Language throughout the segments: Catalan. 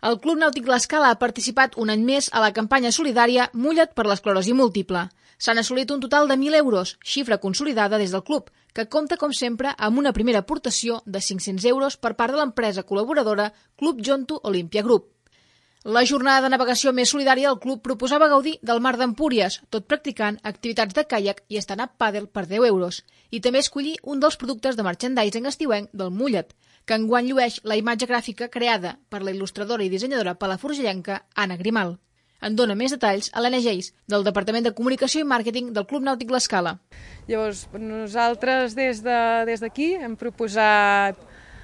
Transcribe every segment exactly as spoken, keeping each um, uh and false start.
El Club Nàutic L'Escala ha participat un any més a la campanya solidària Mulla't per l'esclerosi múltiple. S'han assolit un total de mil euros, xifra consolidada des del club, que compta, com sempre, amb una primera aportació de cinc-cents euros per part de l'empresa col·laboradora Club Jonto Olympia Group. La jornada de navegació més solidària del club proposava gaudir del mar d'Empúries, tot practicant activitats de caiac i stand-up paddle per deu euros, i també escollir un dels productes de merchandising estiuenc del Mulla't, que enguany llueix la imatge gràfica creada per la il·lustradora i dissenyadora palafrugellenca Anna Grimal. En dona més detalls Helena Geis, del Departament de Comunicació i Màrqueting del Club Nàutic L'Escala. Llavors, nosaltres des de, des d'aquí hem proposat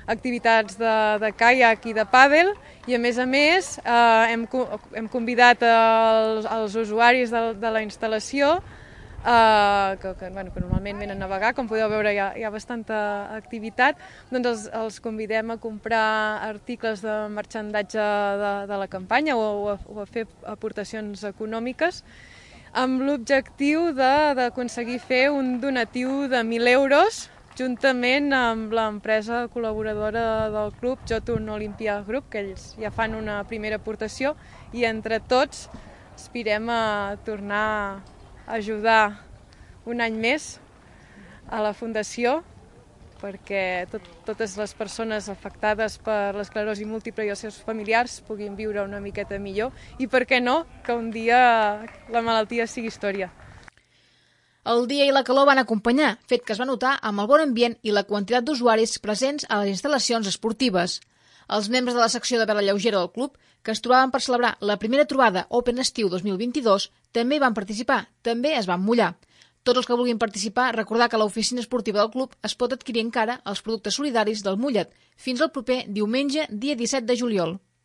activitats de, de caiac i de pàdel i, a més a més, eh, hem, hem convidat els, els usuaris de, de la instal·lació eh, que, que, bueno, que normalment venen a navegar, com podeu veure hi ha, hi ha bastanta activitat, doncs els, els convidem a comprar articles de marxandatge de, de la campanya o, o, a, o a fer aportacions econòmiques amb l'objectiu d'aconseguir fer un donatiu de mil euros juntament amb l'empresa col·laboradora del club, Jonto Olympia Group, que ells ja fan una primera aportació i entre tots aspirem a tornar a ajudar un any més a la Fundació perquè tot, totes les persones afectades per l'esclerosi múltiple i els seus familiars puguin viure una miqueta millor i, per què no, que un dia la malaltia sigui història. El dia i la calor van acompanyar, fet que es va notar amb el bon ambient i la quantitat d'usuaris presents a les instal·lacions esportives. Els membres de la secció de vela lleugera del club, que es trobaven per celebrar la primera trobada Open Estiu dos mil vint-i-dos, també hi van participar, també es van mullar. Tots els que vulguin participar, recordar que a l'oficina esportiva del club es pot adquirir encara els productes solidaris del Mulla't fins al proper diumenge, dia disset de juliol.